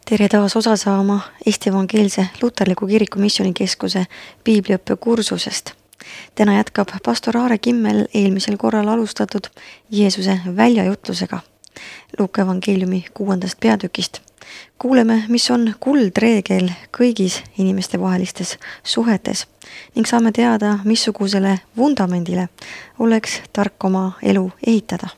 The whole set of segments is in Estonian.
Tere taas osa saama Eesti Evangeelse Luterliku Kiriku Missioonikeskuse piibliõppe kursusest. Täna jätkab pastor Aare Kimmel eelmisel korral alustatud Jeesuse väljajutlusega Luuka evangeeliumi 6. peatükist. Kuuleme, mis on kuldreegel kõigis inimestevahelistes suhetes ning saame teada, missugusele vundamendile oleks tark oma elu ehitada.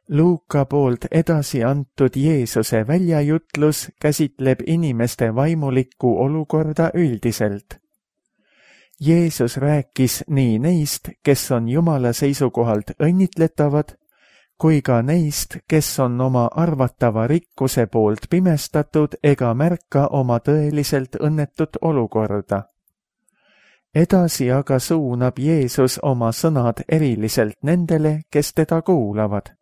Luuka poolt edasi antud Jeesuse väljajutlus käsitleb inimeste vaimulikku olukorda üldiselt. Jeesus rääkis nii neist, kes on Jumala seisukohalt õnnitletavad, kui ka neist, kes on oma arvatava rikkuse poolt pimestatud ega märka oma tõeliselt õnnetut olukorda. Edasi aga suunab Jeesus oma sõnad eriliselt nendele, kes teda kuulavad.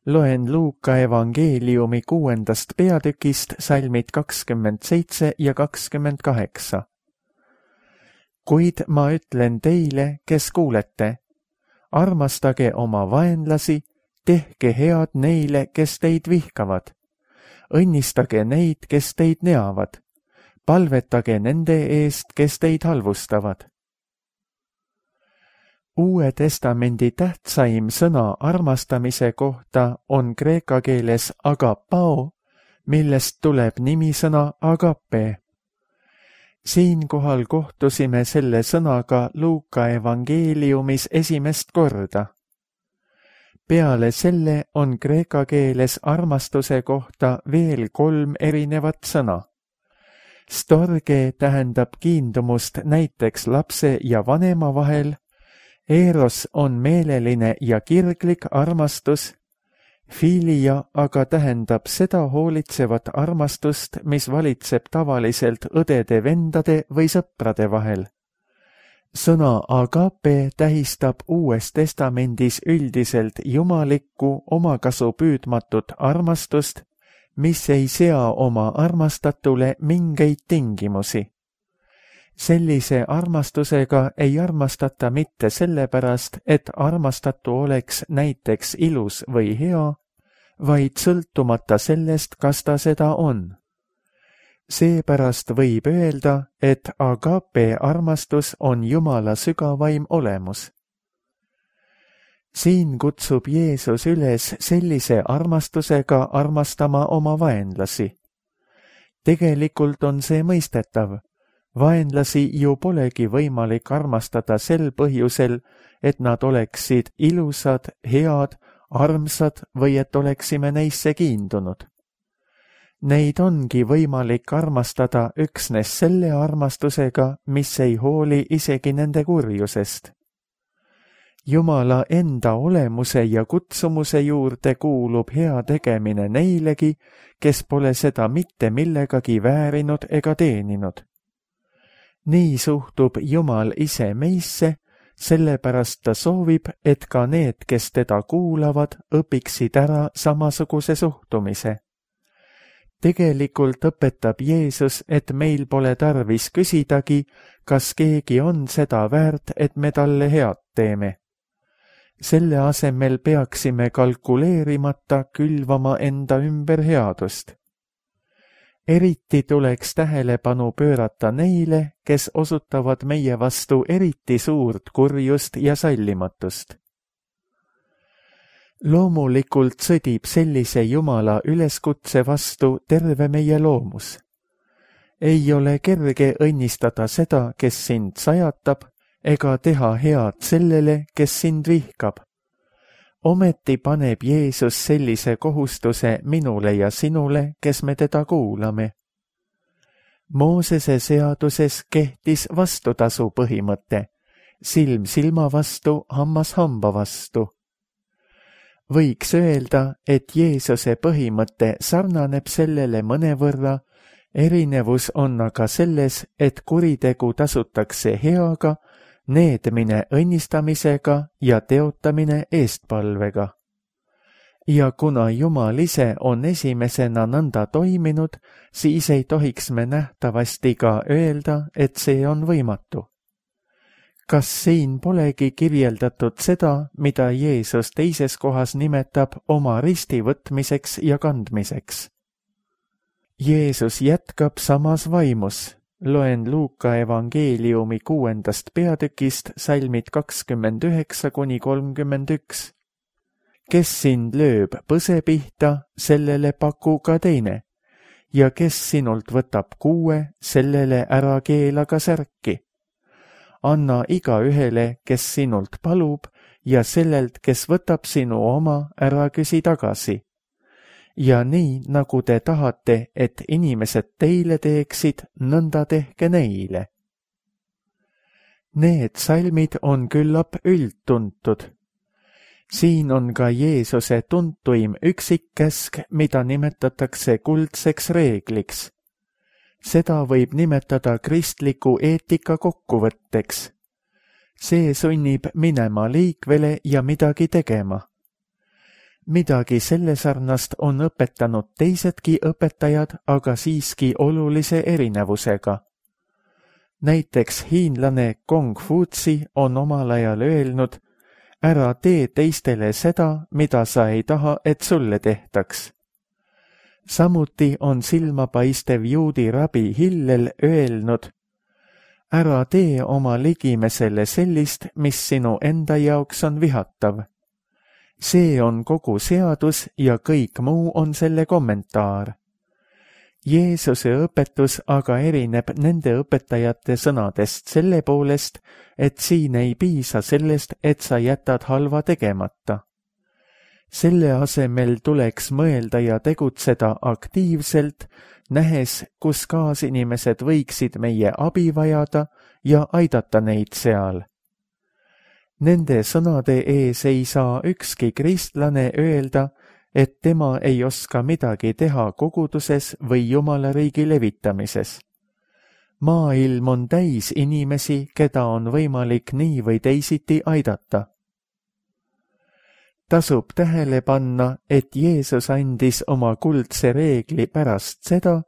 Loen Luuka evangeeliumi 6. peatükist salmid 27 ja 28. Kuid ma ütlen teile, kes kuulete, armastage oma vaenlasi, tehke head neile, kes teid vihkavad. Õnnistage neid, kes teid neavad. Palvetage nende eest, kes teid halvustavad. Uue testamendi tähtsaim sõna armastamise kohta on kreeka keeles agapao, millest tuleb nimisõna agape. Siinkohal kohtusime selle sõnaga Luuka evangeeliumis esimest korda. Peale selle on kreeka keeles armastuse kohta veel 3 erinevat sõna. Storge tähendab kiindumust näiteks lapse ja vanema vahel, Eros on meeleline ja kirglik armastus, filia aga tähendab seda hoolitsevat armastust, mis valitseb tavaliselt õdede, vendade või sõprade vahel. Sõna agape tähistab Uues testamendis üldiselt jumalikku, omakasu püüdmatut armastust, mis ei sea oma armastatule mingeid tingimusi. Sellise armastusega ei armastata mitte sellepärast, et armastatu oleks näiteks ilus või hea, vaid sõltumata sellest, kas ta seda on. Seepärast võib öelda, et agape armastus on Jumala sügavaim olemus. Siin kutsub Jeesus üles sellise armastusega armastama oma vaenlasi. Tegelikult on see mõistetav. Vaenlasi ju polegi võimalik armastada sel põhjusel, et nad oleksid ilusad, head, armsad või et oleksime neisse kiindunud. Neid ongi võimalik armastada üksnes selle armastusega, mis ei hooli isegi nende kurjusest. Jumala enda olemuse ja kutsumuse juurde kuulub hea tegemine neilegi, kes pole seda mitte millegagi väärinud ega teeninud. Nii suhtub Jumal ise meisse, sellepärast ta soovib, et ka need, kes teda kuulavad, õpiksid ära samasuguse suhtumise. Tegelikult õpetab Jeesus, et meil pole tarvis küsidagi, kas keegi on seda väärt, et me talle head teeme. Selle asemel peaksime kalkuleerimata külvama enda ümber headust. Eriti tuleks tähelepanu pöörata neile, kes osutavad meie vastu eriti suurt kurjust ja sallimatust. Loomulikult sõdib sellise Jumala üleskutse vastu terve meie loomus. Ei ole kerge õnnistada seda, kes sind sajatab, ega teha head sellele, kes sind vihkab. Ometi paneb Jeesus sellise kohustuse minule ja sinule, kes me teda kuulame. Moosese seaduses kehtis vastutasu põhimõte, silm silma vastu, hammas hamba vastu. Võiks öelda, et Jeesuse põhimõte sarnaneb sellele mõnevõrra, erinevus on aga selles, et kuritegu tasutakse heaga, needmine õnnistamisega ja teotamine eestpalvega. Ja kuna Jumal ise on esimesena nõnda toiminud, siis ei tohiks me nähtavasti ka öelda, et see on võimatu. kas siin polegi kirjeldatud seda, mida Jeesus teises kohas nimetab oma risti võtmiseks ja kandmiseks? Jeesus jätkab samas vaimus. Loen Luuka evangeeliumi 6. peatükist salmid 29–31. Kes sind lööb põse pihta, sellele paku ka teine, ja kes sinult võtab kuue, sellele ära keela ka särki. Anna igaühele, kes sinult palub, ja sellelt, kes võtab sinu oma, ära küsi tagasi. Ja nii, nagu te tahate, et inimesed teile teeksid, nõnda tehke neile. Need salmid on küllap üldtuntud. Siin on ka Jeesuse tuntuim üksikkäsk, mida nimetatakse kuldseks reegliks. Seda võib nimetada kristliku eetika kokkuvõtteks. See sunnib minema liikvele ja midagi tegema. Midagi selle sarnast on õpetanud teisedki õpetajad, aga siiski olulise erinevusega. Näiteks hiinlane Kongfutsi on omal ajal öelnud, ära tee teistele seda, mida sa ei taha, et sulle tehtaks. Samuti on silmapaistev juudi rabi Hillel öelnud, ära tee oma ligimesele sellist, mis sinu enda jaoks on vihatav. See on kogu seadus ja kõik muu on selle kommentaar. Jeesuse õpetus aga erineb nende õpetajate sõnadest selle poolest, et siin ei piisa sellest, et sa jätad halva tegemata. Selle asemel tuleks mõelda ja tegutseda aktiivselt, nähes, kus kaasinimesed võiksid meie abi vajada ja aidata neid seal. Nende sõnade ees ei saa ükski kristlane öelda, et tema ei oska midagi teha koguduses või Jumala riigi levitamises. Maailm on täis inimesi, keda on võimalik nii või teisiti aidata. Tasub tähele panna, et Jeesus andis oma kuldse reegli pärast seda,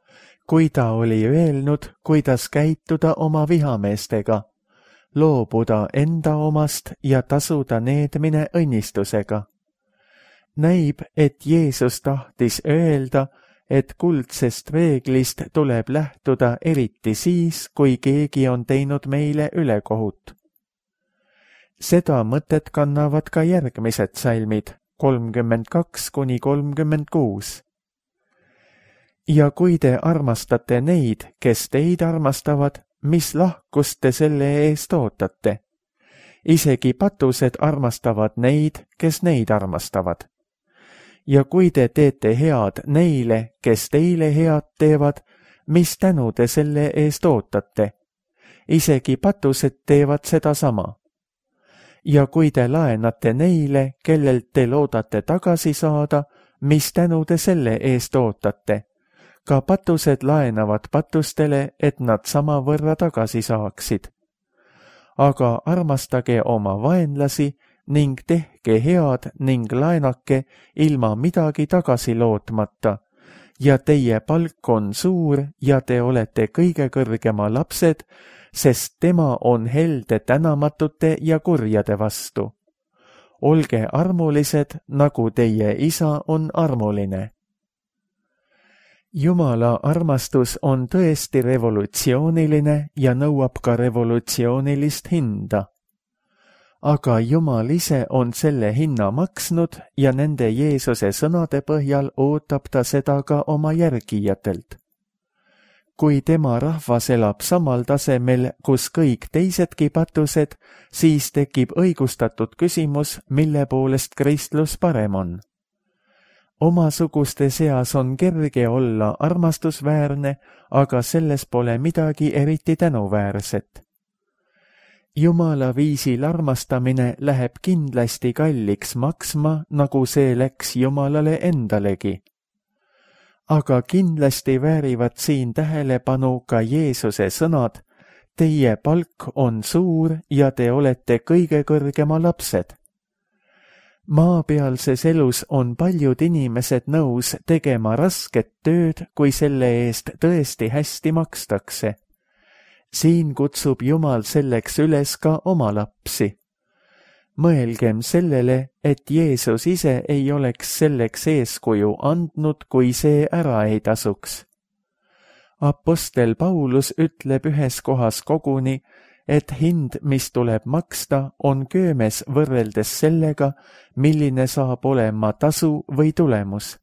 kui ta oli öelnud, kuidas käituda oma vihameestega, loobuda enda omast ja tasuda needmine õnnistusega. Näib, et Jeesus tahtis öelda, et kuldsest reeglist tuleb lähtuda eriti siis, kui keegi on teinud meile ülekohut. Seda mõtet kannavad ka järgmised salmid, 32–36. Ja kui te armastate neid, kes teid armastavad, mis lahkust te selle eest ootate? Isegi patused armastavad neid, kes neid armastavad. Ja kui te teete head neile, kes teile head teevad, mis tänu te selle eest ootate? Isegi patused teevad seda sama. Ja kui te laenate neile, kellelt te loodate tagasi saada, mis tänu te selle eest ootate? Ka patused laenavad patustele, et nad samavõrra tagasi saaksid. Aga armastage oma vaenlasi ning tehke head ning laenake ilma midagi tagasi lootmata, ja teie palk on suur ja te olete kõige kõrgema lapsed, sest tema on helde tänamatute ja kurjade vastu. Olge armulised, nagu teie isa on armuline. Jumala armastus on tõesti revolutsiooniline ja nõuab ka revolutsioonilist hinda. Aga Jumal ise on selle hinna maksnud ja nende Jeesuse sõnade põhjal ootab ta seda ka oma järgijatelt. Kui tema rahvas elab samal tasemel, kus kõik teisedki patused, siis tekib õigustatud küsimus, mille poolest kristlus parem on. Omasuguste seas on kerge olla armastusväärne, aga selles pole midagi eriti tänuväärset. Jumala viisil armastamine läheb kindlasti kalliks maksma, nagu see läks Jumalale endalegi. Aga kindlasti väärivad siin tähelepanu ka Jeesuse sõnad, teie palk on suur ja te olete kõige kõrgema lapsed. Maapealses elus on paljud inimesed nõus tegema rasket tööd, kui selle eest tõesti hästi makstakse. siin kutsub Jumal selleks üles ka oma lapsi. Mõelgem sellele, et Jeesus ise ei oleks selleks eeskuju andnud, kui see ära ei tasuks. Apostel Paulus ütleb ühes kohas koguni, et hind, mis tuleb maksta, on köömes võrreldes sellega, milline saab olema tasu või tulemus.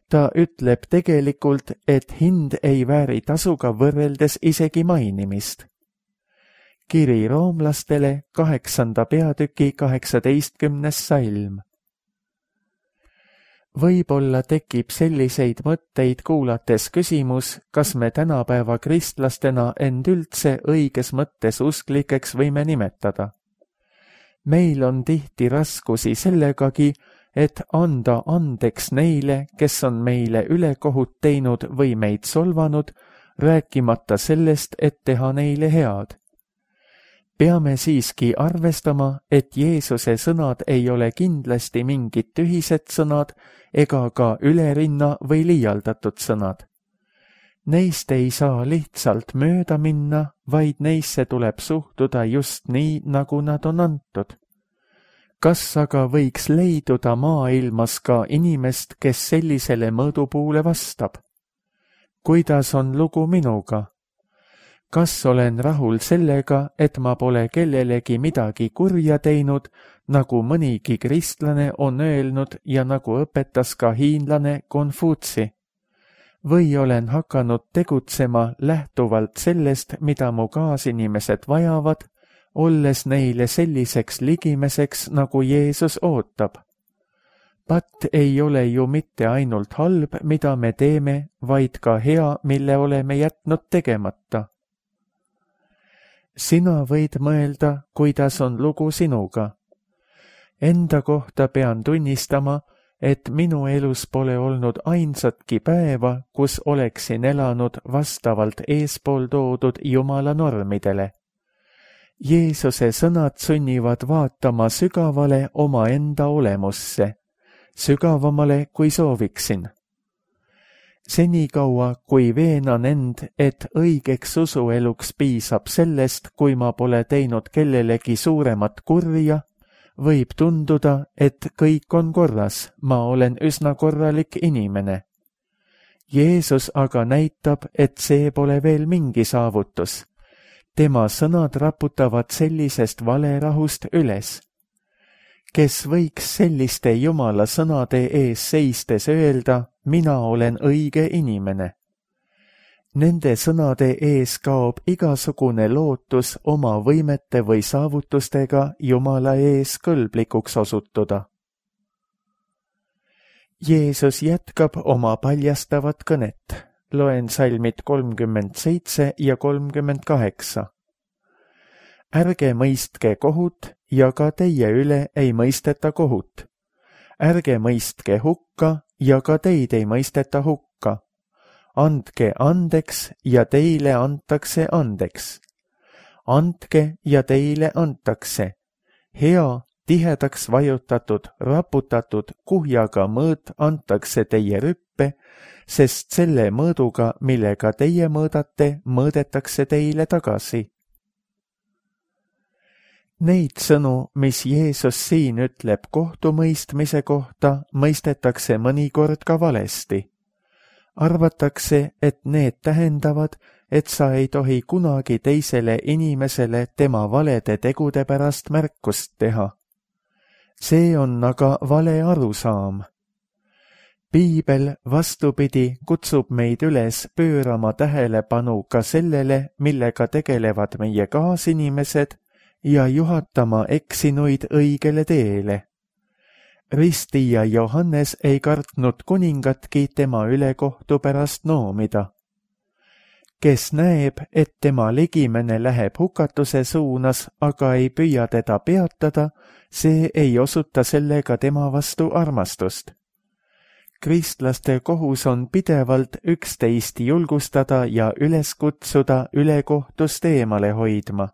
Ta ütleb tegelikult, et hind ei vääri tasuga võrreldes isegi mainimist. Kiri roomlastele 8. peatüki 18. salm. Võib-olla tekib selliseid mõtteid kuulates küsimus, kas me tänapäeva kristlastena end üldse õiges mõttes usklikeks võime nimetada. Meil on tihti raskusi sellegagi, et anda andeks neile, kes on meile ülekohut teinud või meid solvanud, rääkimata sellest, et teha neile head. Peame siiski arvestama, et Jeesuse sõnad ei ole kindlasti mingid tühised sõnad ega ka ülerinna või liialdatud sõnad. Neist ei saa lihtsalt mööda minna, vaid neisse tuleb suhtuda just nii, nagu nad on antud. Kas aga võiks leiduda maailmas ka inimest, kes sellisele mõõdupuule vastab? Kuidas on lugu minuga? Kas olen rahul sellega, et ma pole kellelegi midagi kurja teinud, nagu mõnigi kristlane on öelnud ja nagu õpetas ka hiinlane Konfutsi? Või olen hakanud tegutsema lähtuvalt sellest, mida mu kaasinimesed vajavad, olles neile selliseks ligimeseks, nagu Jeesus ootab? Patt ei ole ju mitte ainult halb, mida me teeme, vaid ka hea, mille oleme jätnud tegemata. Sina võid mõelda, kuidas on lugu sinuga. Enda kohta pean tunnistama, et minu elus pole olnud ainsatki päeva, kus oleksin elanud vastavalt eespool toodud Jumala normidele. Jeesuse sõnad sunnivad vaatama sügavale omaenda olemusse, sügavamale kui sooviksin. Senikaua, kui veenan end, et õigeks usueluks piisab sellest, kui ma pole teinud kellelegi suuremat kurja, võib tunduda, et kõik on korras, ma olen üsna korralik inimene. Jeesus aga näitab, et see pole veel mingi saavutus. Tema sõnad raputavad sellisest valerahust üles. Kes võiks selliste Jumala sõnade ees seistes öelda, mina olen õige inimene? Nende sõnade ees kaob igasugune lootus oma võimete või saavutustega Jumala ees kõlblikuks osutuda. Jeesus jätkab oma paljastavat kõnet. Loen salmid 37 ja 38. Ärge mõistke kohut ja ka teie üle ei mõisteta kohut. Ärge mõistke hukka ja ka teid ei mõisteta hukka. Andke andeks ja teile antakse andeks. Andke ja teile antakse. Hea, tihedaks vajutatud, raputatud kuhjaga mõõt antakse teie rüppe, sest selle mõõduga, millega teie mõõdate, mõõdetakse teile tagasi. Neid sõnu, mis Jeesus siin ütleb kohtumõistmise kohta, mõistetakse mõnikord ka valesti. Arvatakse, et need tähendavad, et sa ei tohi kunagi teisele inimesele tema valede tegude pärast märkust teha. See on aga vale arusaam. Piibel, vastupidi, kutsub meid üles pöörama tähelepanu ka sellele, millega tegelevad meie kaasinimesed ja juhatama eksinuid õigele teele. Ristija Johannes ei kartnud kuningatki tema ülekohtu pärast noomida. Kes näeb, et tema ligimene läheb hukatuse suunas, aga ei püüa teda peatada, see ei osuta sellega tema vastu armastust. Kristlaste kohus on pidevalt üksteist julgustada ja üles kutsuda ülekohtust eemale hoidma.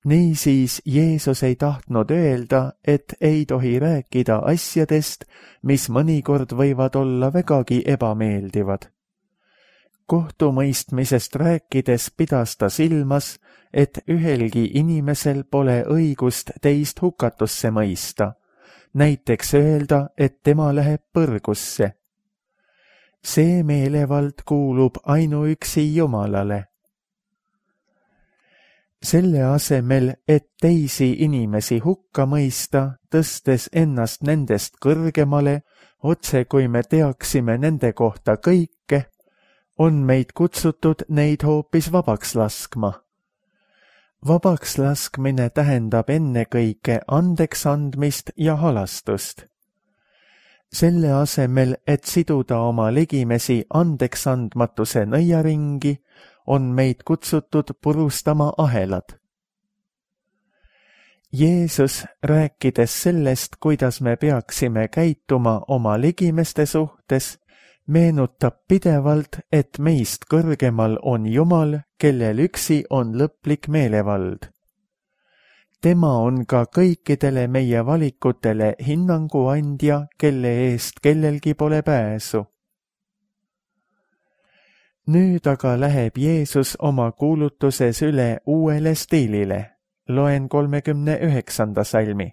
Niisiis Jeesus ei tahtnud öelda, et ei tohi rääkida asjadest, mis mõnikord võivad olla vägagi ebameeldivad. kohtumõistmisest rääkides pidas ta silmas, et ühelgi inimesel pole õigust teist hukatusse mõista, näiteks öelda, et tema läheb põrgusse. See meelevald kuulub ainuüksi Jumalale. Selle asemel, et teisi inimesi hukka mõista, tõstes ennast nendest kõrgemale, otse kui me teaksime nende kohta kõike, on meid kutsutud neid hoopis vabaks laskma. Vabaks laskmine tähendab ennekõike andeks andmist ja halastust. Selle asemel, et siduda oma ligimesi andeksandmatuse nõiaringi, on meid kutsutud purustama ahelad. Jeesus, rääkides sellest, kuidas me peaksime käituma oma ligimeste suhtes, meenutab pidevalt, et meist kõrgemal on Jumal, kellel üksi on lõplik meelevald. Tema on ka kõikidele meie valikutele hinnangu andja, kelle eest kellelgi pole pääsu. Nüüd aga läheb Jeesus oma kuulutuses üle uuele stiilile. Loen 39. salmi.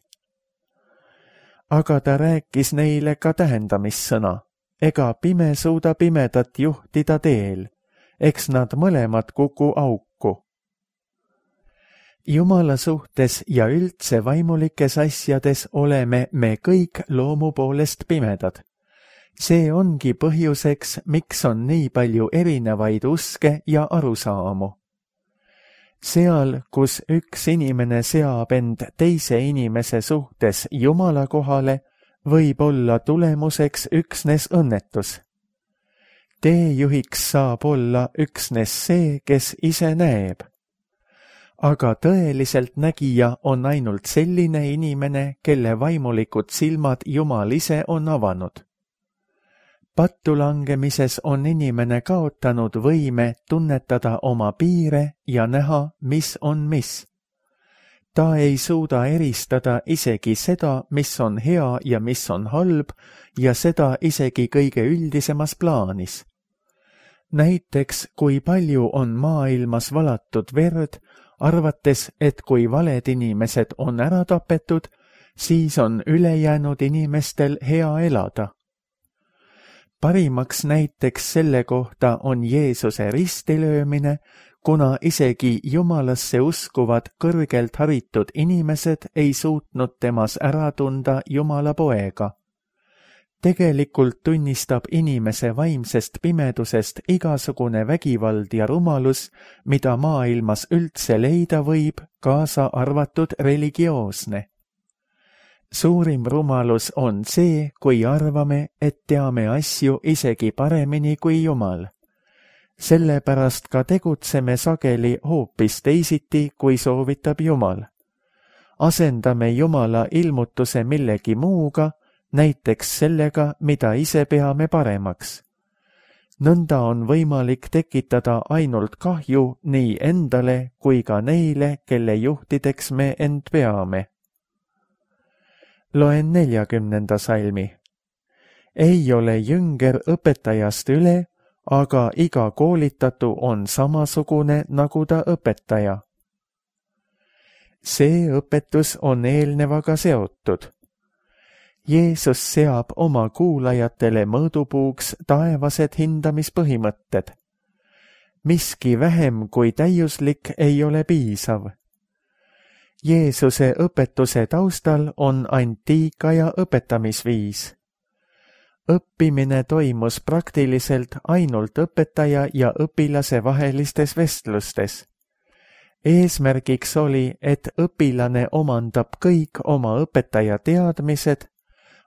Aga ta rääkis neile ka tähendamissõna. Ega pime suuda pimedat juhtida teel, eks nad mõlemad kuku auku. Jumala suhtes ja üldse vaimulikes asjades oleme me kõik loomu poolest pimedad. See ongi põhjuseks, miks on nii palju erinevaid uske ja arusaamu. Seal, kus üks inimene seab end teise inimese suhtes Jumala kohale, võib olla tulemuseks üksnes õnnetus. Teejuhiks saab olla üksnes see, kes ise näeb. Aga tõeliselt nägija on ainult selline inimene, kelle vaimulikud silmad Jumal ise on avanud. Pattu langemises on inimene kaotanud võime tunnetada oma piire ja näha, mis on mis. Ta ei suuda eristada isegi seda, mis on hea ja mis on halb, ja seda isegi kõige üldisemas plaanis. Näiteks, kui palju on maailmas valatud verd, arvates, et kui valed inimesed on ära tapetud, siis on ülejäänud inimestel hea elada. Parimaks näiteks selle kohta on Jeesuse ristilöömine, kuna isegi Jumalasse uskuvad kõrgelt haritud inimesed ei suutnud temas ära tunda Jumala poega. Tegelikult tunnistab inimese vaimsest pimedusest igasugune vägivald ja rumalus, mida maailmas üldse leida võib, kaasa arvatud religioosne. Suurim rumalus on see, kui arvame, et teame asju isegi paremini kui Jumal. Sellepärast ka tegutseme sageli hoopis teisiti, kui soovitab Jumal. Asendame Jumala ilmutuse millegi muuga, näiteks sellega, mida ise peame paremaks. Nõnda on võimalik tekitada ainult kahju nii endale kui ka neile, kelle juhtideks me end peame. Loen 40. salmi. Ei ole jünger õpetajast üle, aga iga koolitatu on samasugune nagu ta õpetaja. See õpetus on eelnevaga seotud. Jeesus seab oma kuulajatele mõõdupuuks taevased hindamispõhimõtted. Miski vähem kui täiuslik ei ole piisav. Jeesuse õpetuse taustal on antiika ja õpetamisviis. Õppimine toimus praktiliselt ainult õpetaja ja õpilase vahelistes vestlustes. Eesmärgiks oli, et õpilane omandab kõik oma õpetaja teadmised,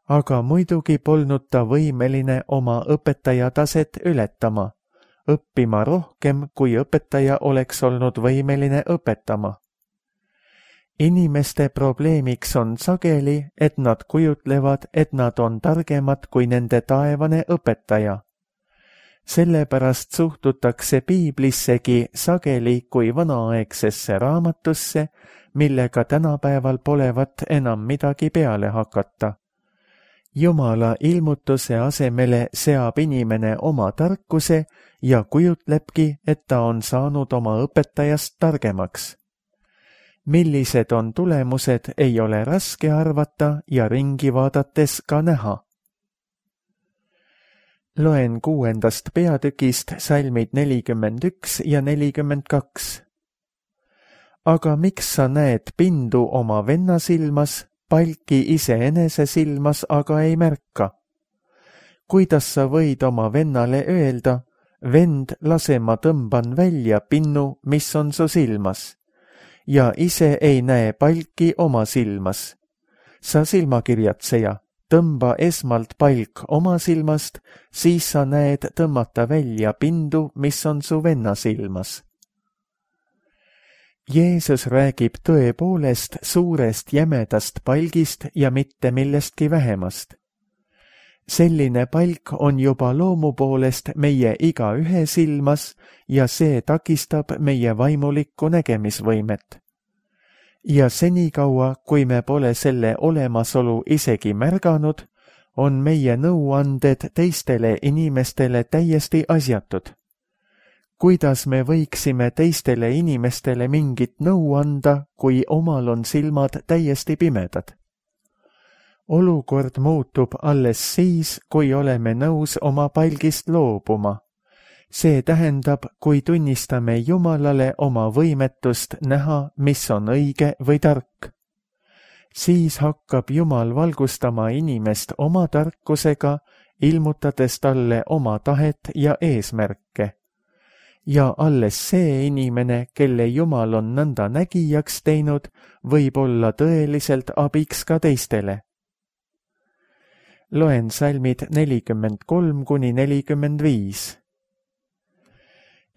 aga muidugi polnud ta võimeline oma õpetaja taset ületama, õppima rohkem, kui õpetaja oleks olnud võimeline õpetama. Inimeste probleemiks on sageli, et nad kujutlevad, et nad on targemad kui nende taevane õpetaja. Sellepärast suhtutakse piiblissegi sageli kui vanaaegsesse raamatusse, millega tänapäeval polevat enam midagi peale hakata. Jumala ilmutuse asemele seab inimene oma tarkuse ja kujutlebki, et ta on saanud oma õpetajast targemaks. Millised on tulemused, ei ole raske arvata ja ringi vaadates ka näha. Loen 6. peatükist salmid 41 ja 42. Aga miks sa näed pindu oma venna silmas, palki iseenese silmas aga ei märka? Kuidas sa võid oma vennale öelda, vend, lase ma tõmban välja pinnu, mis on su silmas, ja ise ei näe palki oma silmas? Sa silmakirjatseja, tõmba esmalt palk oma silmast, siis sa näed tõmmata välja pindu, mis on su venna silmas. Jeesus räägib tõepoolest suurest jämedast palgist ja mitte millestki vähemast. Selline palk on juba loomu poolest meie igaühe silmas ja see takistab meie vaimulikku nägemisvõimet. Ja senikaua, kui me pole selle olemasolu isegi märganud, on meie nõuanded teistele inimestele täiesti asjatud. Kuidas me võiksime teistele inimestele mingit nõu anda, kui omal on silmad täiesti pimedad? Olukord muutub alles siis, kui oleme nõus oma palgist loobuma. See tähendab, kui tunnistame Jumalale oma võimetust näha, mis on õige või tark. Siis hakkab Jumal valgustama inimest oma tarkusega, ilmutades talle oma tahet ja eesmärke. Ja alles see inimene, kelle Jumal on nõnda nägijaks teinud, võib olla tõeliselt abiks ka teistele. Loen salmid 43–45.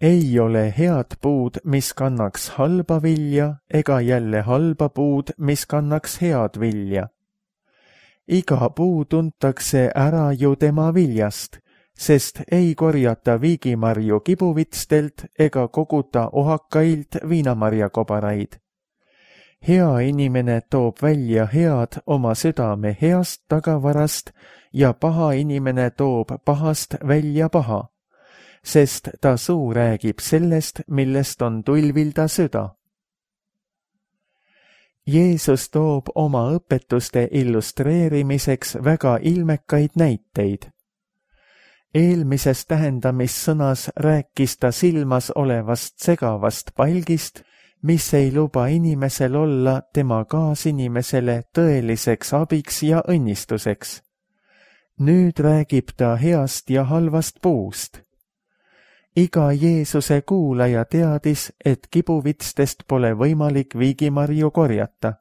Ei ole head puud, mis kannaks halba vilja, ega jälle halba puud, mis kannaks head vilja. Iga puu tuntakse ära ju tema viljast, sest ei korjata viigimarju kibuvitstelt ega koguta ohakailt viinamarjakobaraid. Hea inimene toob välja head oma südame heast tagavarast ja paha inimene toob pahast välja paha, sest ta suu räägib sellest, millest on tulvilda süda. Jeesus toob oma õpetuste illustreerimiseks väga ilmekaid näiteid. Eelmises tähendamissõnas rääkis ta silmas olevast segavast palgist, mis ei luba inimesel olla tema kaasinimesele tõeliseks abiks ja õnnistuseks. Nüüd räägib ta heast ja halvast puust. Iga Jeesuse kuulaja teadis, et kibuvitstest pole võimalik viigimarju korjata.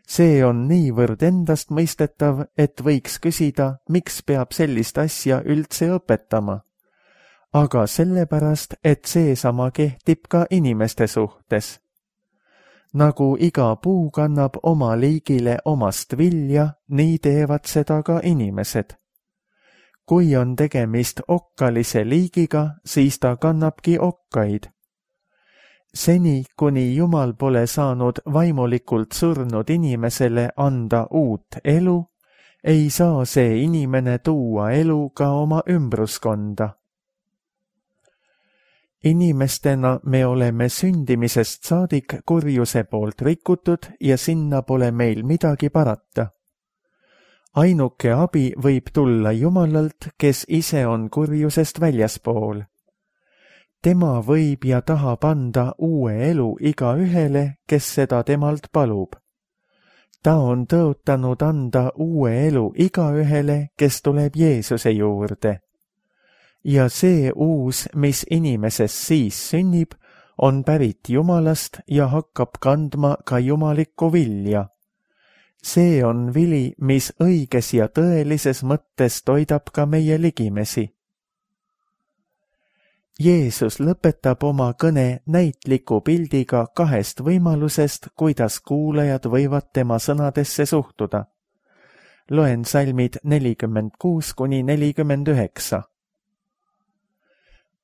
See on niivõrd endastmõistetav, et võiks küsida, miks peab sellist asja üldse õpetama. Aga sellepärast, et seesama kehtib ka inimeste suhtes. Nagu iga puu kannab oma liigile omast vilja, nii teevad seda ka inimesed. Kui on tegemist okkalise liigiga, siis ta kannabki okkaid. Seni, kuni Jumal pole saanud vaimulikult surnud inimesele anda uut elu, ei saa see inimene tuua elu ka oma ümbruskonda. Inimestena me oleme sündimisest saadik kurjuse poolt rikutud ja sinna pole meil midagi parata. Ainuke abi võib tulla Jumalalt, kes ise on kurjusest väljaspool. Tema võib ja tahab anda uue elu igaühele, kes seda temalt palub. Ta on tõotanud anda uue elu igaühele, kes tuleb Jeesuse juurde. Ja see uus, mis inimeses siis sünnib, on pärit Jumalast ja hakkab kandma ka jumalikku vilja. See on vili, mis õiges ja tõelises mõttes toidab ka meie ligimesi. Jeesus lõpetab oma kõne näitliku pildiga kahest võimalusest, kuidas kuulajad võivad tema sõnadesse suhtuda. Loen salmid 46–49.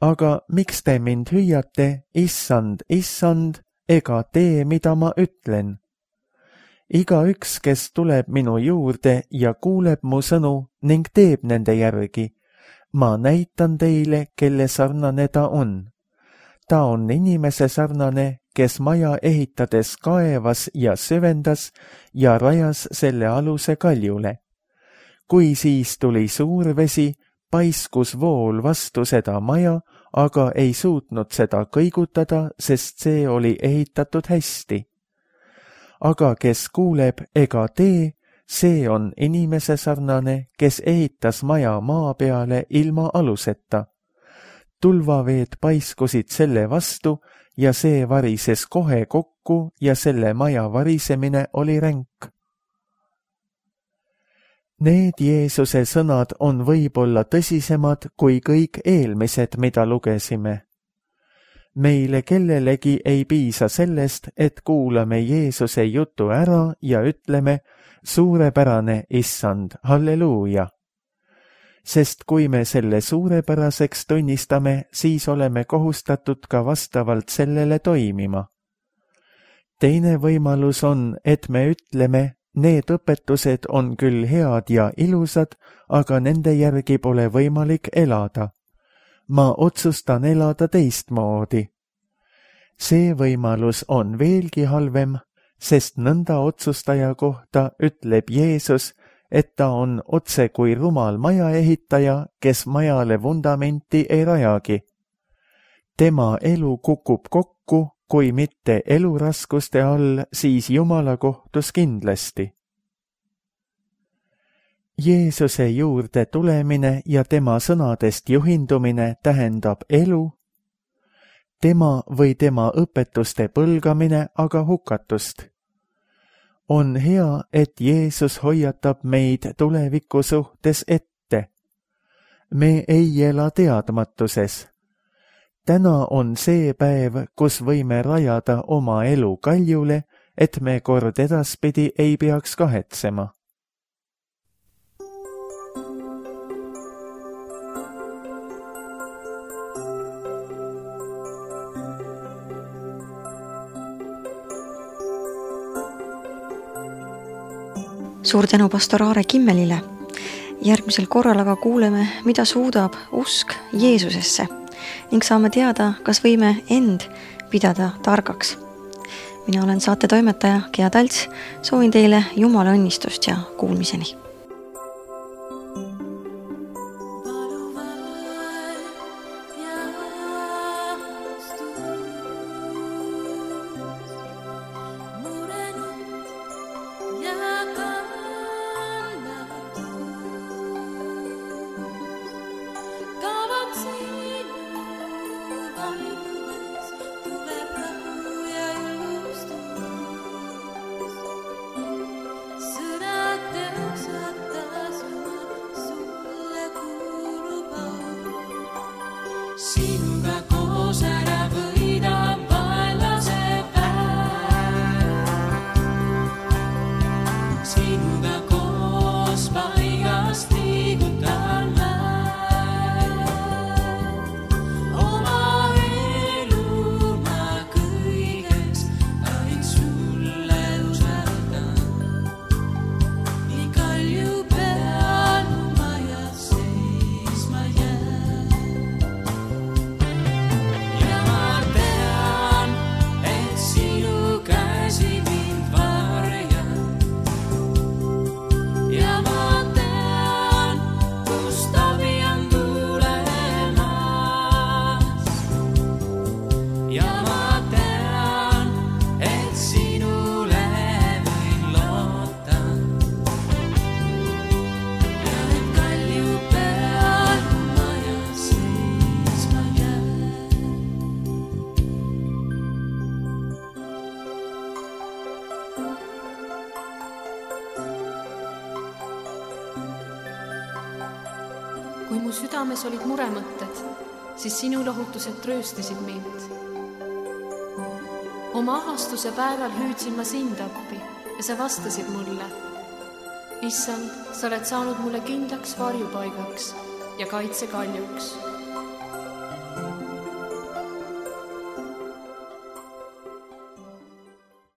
Aga miks te mind hüüate, issand, issand, ega tee, mida ma ütlen? igaüks, kes tuleb minu juurde ja kuuleb mu sõnu ning teeb nende järgi, ma näitan teile, kelle sarnane ta on. Ta on inimese sarnane, kes maja ehitades kaevas ja süvendas ja rajas selle aluse kaljule. Kui siis tuli suur vesi, paiskus vool vastu seda maja, aga ei suutnud seda kõigutada, sest see oli ehitatud hästi. Aga kes kuuleb ega tee, see on inimese sarnane, kes ehitas maja maa peale ilma aluseta. Tulvaveed paiskusid selle vastu ja see varises kohe kokku ja selle maja varisemine oli ränk. Need Jeesuse sõnad on võib-olla tõsisemad kui kõik eelmised, mida lugesime. Meile kellelegi ei piisa sellest, et kuulame Jeesuse jutu ära ja ütleme, suurepärane issand, halleluuja. Sest kui me selle suurepäraseks tunnistame, siis oleme kohustatud ka vastavalt sellele toimima. Teine võimalus on, et me ütleme, need õpetused on küll head ja ilusad, aga nende järgi pole võimalik elada. Ma otsustan elada teistmoodi. See võimalus on veelgi halvem, sest nõnda otsustaja kohta ütleb Jeesus, et ta on otse kui rumal majaehitaja, kes majale vundamenti ei rajagi. Tema elu kukub kokku, kui mitte eluraskuste all, siis Jumala kohtus kindlasti. Jeesuse juurde tulemine ja tema sõnadest juhindumine tähendab elu, tema või tema õpetuste põlgamine aga hukatust. On hea, et Jeesus hoiatab meid tuleviku suhtes ette. Me ei ela teadmatuses. Täna on see päev, kus võime rajada oma elu kaljule, et me kord edaspidi ei peaks kahetsema. Suur tänu pastor Aare Kimmelile. Järgmisel korral aga kuuleme, mida suudab usk Jeesusesse ning saame teada, kas võime end pidada targaks. Mina olen saate toimetaja Gea Talts, soovin teile Jumala õnnistust ja kuulmiseni. Sinuga koos ära võidab vaenlase päev. Sinuga koos paigast liigutan mäed. Oma elu ma kõiges ainult sulle usaldan. Nii kalju peal ma ja seisma jään. Kui mu südames olid muremõtted, siis sinu lohutused trööstasid mind. Oma ahastuse päeval hüüdsin ma sind appi ja sa vastasid mulle. Issand, sa oled saanud mulle kindlaks varjupaigaks ja kaitsekaljuks.